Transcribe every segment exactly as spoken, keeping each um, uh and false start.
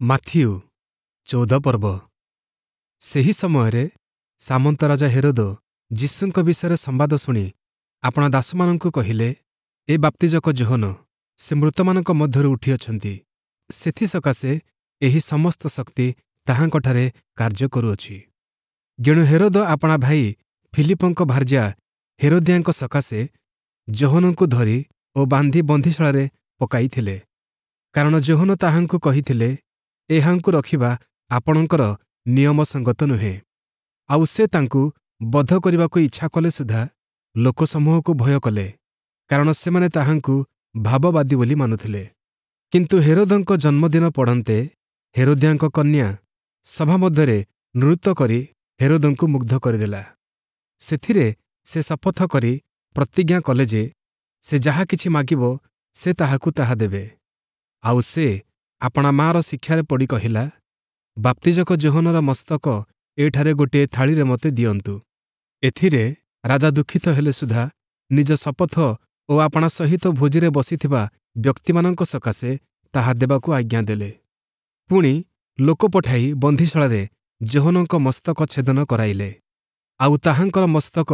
Matthew ଚଉଦ ପର୍ବ ସେହି ସମୟରେ ସାମନ୍ତ ରାଜା ହେରୋଦ ଯୀଶୁଙ୍କ ବିଷୟରେ ସମ୍ବାଦ ଶୁଣି ଆପଣା ଦାସମାନଙ୍କୁ କହିଲେ, ଏ ବାପ୍ତିଜକ ଯୋହନ, ସେ ମୃତମାନଙ୍କ ମଧ୍ୟରୁ ଉଠିଅଛନ୍ତି, ସେଥିସକାଶେ ଏହି ସମସ୍ତ ଶକ୍ତି ତାହାଙ୍କଠାରେ କାର୍ଯ୍ୟ କରୁଅଛି। ଯେଣୁ ହେରୋଦ ଆପଣା ଭାଇ ଫିଲିପଙ୍କ ଭାର୍ଯ୍ୟା ହେରୋଦିଆଙ୍କ ସକାଶେ ଯୋହନଙ୍କୁ ଧରି ଓ ବାନ୍ଧି ବନ୍ଦୀଶାଳାରେ ପକାଇଥିଲେ। କାରଣ ଯୋହନ ତାହାଙ୍କୁ କହିଥିଲେ, ଏହାଙ୍କୁ ରଖିବା ଆପଣଙ୍କର ନିୟମସଙ୍ଗତ ନୁହେଁ। ଆଉ ସେ ତାଙ୍କୁ ବଧ କରିବାକୁ ଇଚ୍ଛା କଲେ ସୁଦ୍ଧା ଲୋକସମୂହକୁ ଭୟ କଲେ, କାରଣ ସେମାନେ ତାହାଙ୍କୁ ଭାବବାଦୀ ବୋଲି ମାନୁଥିଲେ। କିନ୍ତୁ ହେରୋଦଙ୍କ ଜନ୍ମଦିନ ପଡ଼ନ୍ତେ ହେରୋଦିଆଙ୍କ କନ୍ୟା ସଭା ମଧ୍ୟରେ ନୃତ୍ୟ କରି ହେରୋଦଙ୍କୁ ମୁଗ୍ଧ କରିଦେଲା। ସେଥିରେ ସେ ଶପଥ କରି ପ୍ରତିଜ୍ଞା କଲେ ଯେ ସେ ଯାହା କିଛି ମାଗିବ ସେ ତାହାକୁ ତାହା ଦେବେ। ଆଉ ସେ ଆପଣା ମାଆର ଶିକ୍ଷାରେ ପଡ଼ି କହିଲା, ବାପ୍ତିଜକ ଯୋହନର ମସ୍ତକ ଏଠାରେ ଗୋଟିଏ ଥାଳିରେ ମୋତେ ଦିଅନ୍ତୁ। ଏଥିରେ ରାଜା ଦୁଃଖିତ ହେଲେ ସୁଦ୍ଧା ନିଜ ଶପଥ ଓ ଆପଣା ସହିତ ଭୋଜିରେ ବସିଥିବା ବ୍ୟକ୍ତିମାନଙ୍କ ସକାଶେ ତାହା ଦେବାକୁ ଆଜ୍ଞା ଦେଲେ। ପୁଣି ଲୋକ ପଠାଇ ବନ୍ଦୀଶାଳାରେ ଯୋହନଙ୍କ ମସ୍ତକ ଛେଦନ କରାଇଲେ। ଆଉ ତାହାଙ୍କର ମସ୍ତକ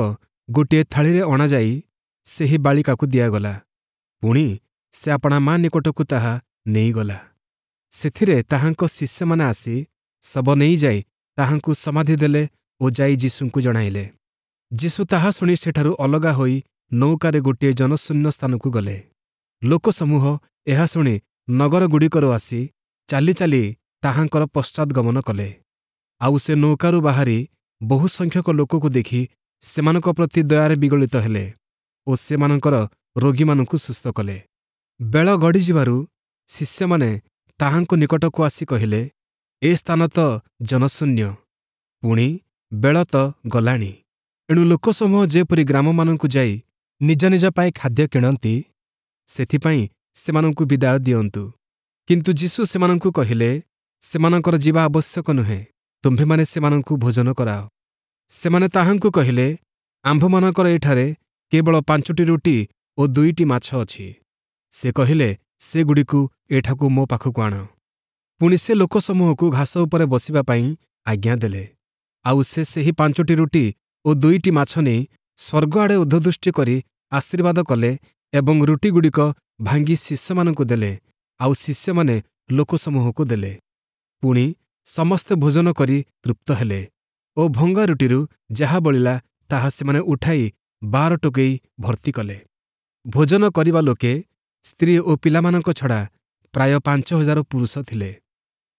ଗୋଟିଏ ଥାଳିରେ ଅଣାଯାଇ ସେହି ବାଳିକାକୁ ଦିଆଗଲା। ପୁଣି ସେ ଆପଣା ମା ନିକଟକୁ ତାହା ନେଇଗଲା। ସେଥିରେ ତାହାଙ୍କ ଶିଷ୍ୟମାନେ ଆସି ଶବ ନେଇଯାଇ ତାହାଙ୍କୁ ସମାଧି ଦେଲେ ଓ ଯାଇ ଯୀଶୁଙ୍କୁ ଜଣାଇଲେ। ଯୀଶୁ ତାହା ଶୁଣି ସେଠାରୁ ଅଲଗା ହୋଇ ନୌକାରେ ଗୋଟିଏ ଜନଶୂନ୍ୟ ସ୍ଥାନକୁ ଗଲେ। ଲୋକସମୂହ ଏହା ଶୁଣି ନଗରଗୁଡ଼ିକରୁ ଆସି ଚାଲି ଚାଲି ତାହାଙ୍କର ପଶ୍ଚାଦ୍ଗମନ କଲେ। ଆଉ ସେ ନୌକାରୁ ବାହାରି ବହୁସଂଖ୍ୟକ ଲୋକକୁ ଦେଖି ସେମାନଙ୍କ ପ୍ରତି ଦୟାରେ ବିଗଳିତ ହେଲେ ଓ ସେମାନଙ୍କର ରୋଗୀମାନଙ୍କୁ ସୁସ୍ଥ କଲେ। ବେଳ ଗଡ଼ିଯିବାରୁ ଶିଷ୍ୟମାନେ ତାହାଙ୍କ ନିକଟକୁ ଆସି କହିଲେ, ଏ ସ୍ଥାନ ତ ଜନଶୂନ୍ୟ, ପୁଣି ବେଳ ତ ଗଲାଣି। ଏଣୁ ଲୋକସମୂହ ଯେପରି ଗ୍ରାମମାନଙ୍କୁ ଯାଇ ନିଜ ନିଜ ପାଇଁ ଖାଦ୍ୟ କିଣନ୍ତି, ସେଥିପାଇଁ ସେମାନଙ୍କୁ ବିଦାୟ ଦିଅନ୍ତୁ। କିନ୍ତୁ ଯୀଶୁ ସେମାନଙ୍କୁ କହିଲେ, ସେମାନଙ୍କର ଯିବା ଆବଶ୍ୟକ ନୁହେଁ, ତୁମ୍ଭେମାନେ ସେମାନଙ୍କୁ ଭୋଜନ କରାଅ। ସେମାନେ ତାହାଙ୍କୁ କହିଲେ, ଆମ୍ଭମାନଙ୍କର ଏଠାରେ କେବଳ ପାଞ୍ଚଟି ରୁଟି ଓ ଦୁଇଟି ମାଛ ଅଛି। ସେ କହିଲେ, ସେଗୁଡ଼ିକୁ ଏଠାକୁ ମୋ ପାଖକୁ ଆଣ। ପୁଣି ସେ ଲୋକସମୂହକୁ ଘାସ ଉପରେ ବସିବା ପାଇଁ ଆଜ୍ଞା ଦେଲେ। ଆଉ ସେ ସେହି ପାଞ୍ଚଟି ରୁଟି ଓ ଦୁଇଟି ମାଛ ନେଇ ସ୍ୱର୍ଗ ଆଡ଼େ ଊର୍ଦ୍ଧ୍ୱଦୃଷ୍ଟି କରି ଆଶୀର୍ବାଦ କଲେ ଏବଂ ରୁଟିଗୁଡ଼ିକ ଭାଙ୍ଗି ଶିଷ୍ୟମାନଙ୍କୁ ଦେଲେ, ଆଉ ଶିଷ୍ୟମାନେ ଲୋକସମୂହକୁ ଦେଲେ। ପୁଣି ସମସ୍ତେ ଭୋଜନ କରି ତୃପ୍ତ ହେଲେ ଓ ଭଙ୍ଗା ରୁଟିରୁ ଯାହା ବଳିଲା ତାହା ସେମାନେ ଉଠାଇ ବାର ଟୋକେଇ ଭର୍ତ୍ତି କଲେ। ଭୋଜନ କରିବା ଲୋକେ ସ୍ତ୍ରୀ ଓ ପିଲାମାନଙ୍କ ଛଡ଼ା ପ୍ରାୟ ପାଞ୍ଚ ହଜାର ପୁରୁଷ ଥିଲେ।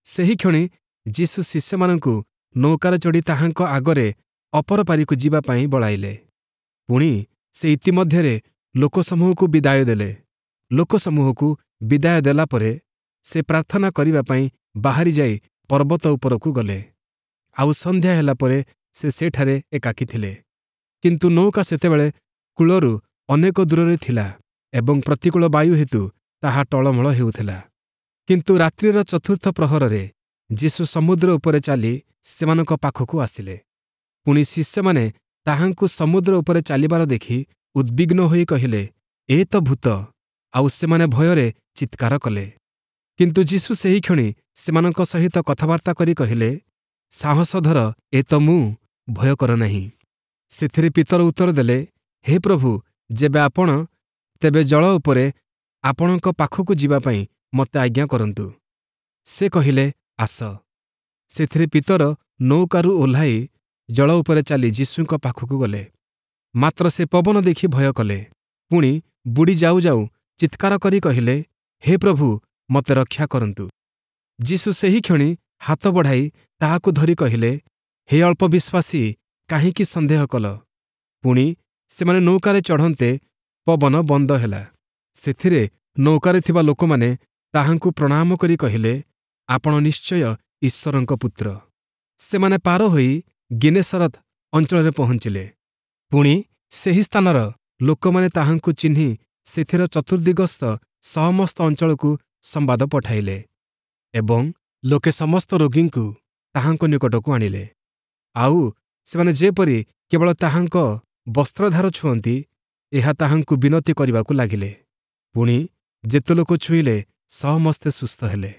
ସେହିକ୍ଷଣି ଯୀଶୁ ଶିଷ୍ୟମାନଙ୍କୁ ନୌକାରେ ଚଢ଼ି ତାହାଙ୍କ ଆଗରେ ଅପର ପାରିକୁ ଯିବା ପାଇଁ ବଳାଇଲେ। ପୁଣି ସେ ଇତିମଧ୍ୟରେ ଲୋକସମୂହକୁ ବିଦାୟ ଦେଲେ। ଲୋକସମୂହକୁ ବିଦାୟ ଦେଲା ପରେ ସେ ପ୍ରାର୍ଥନା କରିବା ପାଇଁ ବାହାରି ଯାଇ ପର୍ବତ ଉପରକୁ ଗଲେ। ଆଉ ସନ୍ଧ୍ୟା ହେଲା ପରେ ସେ ସେଠାରେ ଏକାକୀ ଥିଲେ। କିନ୍ତୁ ନୌକା ସେତେବେଳେ କୂଳରୁ ଅନେକ ଦୂରରେ ଥିଲା ଏବଂ ପ୍ରତିକୂଳ ବାୟୁ ହେତୁ ତାହା ଟଳମଳ ହେଉଥିଲା। କିନ୍ତୁ ରାତ୍ରିର ଚତୁର୍ଥ ପ୍ରହରରେ ଯୀଶୁ ସମୁଦ୍ର ଉପରେ ଚାଲି ସେମାନଙ୍କ ପାଖକୁ ଆସିଲେ। ପୁଣି ଶିଷ୍ୟମାନେ ତାହାଙ୍କୁ ସମୁଦ୍ର ଉପରେ ଚାଲିବାର ଦେଖି ଉଦ୍ବିଗ୍ନ ହୋଇ କହିଲେ, ଏ ତ ଭୂତ! ଆଉ ସେମାନେ ଭୟରେ ଚିତ୍କାର କଲେ। କିନ୍ତୁ ଯୀଶୁ ସେହିକ୍ଷଣି ସେମାନଙ୍କ ସହିତ କଥାବାର୍ତ୍ତା କରି କହିଲେ, ସାହସ ଧର, ଏ ତ ମୁଁ, ଭୟ କର ନାହିଁ। ସେଥିରେ ପିତର ଉତ୍ତର ଦେଲେ, ହେ ପ୍ରଭୁ, ଯେବେ ଆପଣ, ତେବେ ଜଳ ଉପରେ ଆପଣଙ୍କ ପାଖକୁ ଯିବା ପାଇଁ ମୋତେ ଆଜ୍ଞା କରନ୍ତୁ। ସେ କହିଲେ, ଆସ। ସେଥିରେ ପିତର ନୌକାରୁ ଓହ୍ଲାଇ ଜଳ ଉପରେ ଚାଲି ଯୀଶୁଙ୍କ ପାଖକୁ ଗଲେ। ମାତ୍ର ସେ ପବନ ଦେଖି ଭୟ କଲେ। ପୁଣି ବୁଡ଼ି ଯାଉ ଯାଉ ଚିତ୍କାର କରି କହିଲେ, ହେ ପ୍ରଭୁ, ମୋତେ ରକ୍ଷା କରନ୍ତୁ। ଯୀଶୁ ସେହିକ୍ଷଣି ହାତ ବଢ଼ାଇ ତାହାକୁ ଧରି କହିଲେ, ହେ ଅଳ୍ପବିଶ୍ୱାସୀ, କାହିଁକି ସନ୍ଦେହ କଲ? ପୁଣି ସେମାନେ ନୌକାରେ ଚଢ଼ନ୍ତେ ପବନ ବନ୍ଦ ହେଲା। ସେଥିରେ ନୌକାରେ ଥିବା ଲୋକମାନେ ତାହାଙ୍କୁ ପ୍ରଣାମ କରି କହିଲେ, ଆପଣ ନିଶ୍ଚୟ ଈଶ୍ୱରଙ୍କ ପୁତ୍ର। ସେମାନେ ପାର ହୋଇ ଗିନେସରତ ଅଞ୍ଚଳରେ ପହଞ୍ଚିଲେ। ପୁଣି ସେହି ସ୍ଥାନର ଲୋକମାନେ ତାହାଙ୍କୁ ଚିହ୍ନି ସେଥିର ଚତୁର୍ଦ୍ଦିଗସ୍ଥ ସମସ୍ତ ଅଞ୍ଚଳକୁ ସମ୍ବାଦ ପଠାଇଲେ ଏବଂ ଲୋକେ ସମସ୍ତ ରୋଗୀଙ୍କୁ ତାହାଙ୍କ ନିକଟକୁ ଆଣିଲେ। ଆଉ ସେମାନେ ଯେପରି କେବଳ ତାହାଙ୍କ ବସ୍ତ୍ରଧାର ଛୁଅନ୍ତି, ଏହା ତାହାଙ୍କୁ ବିନତି କରିବାକୁ ଲାଗିଲେ। ପୁଣି ଯେତେ ଲୋକ ଛୁଇଁଲେ ସମସ୍ତେ ସୁସ୍ଥ ହେଲେ।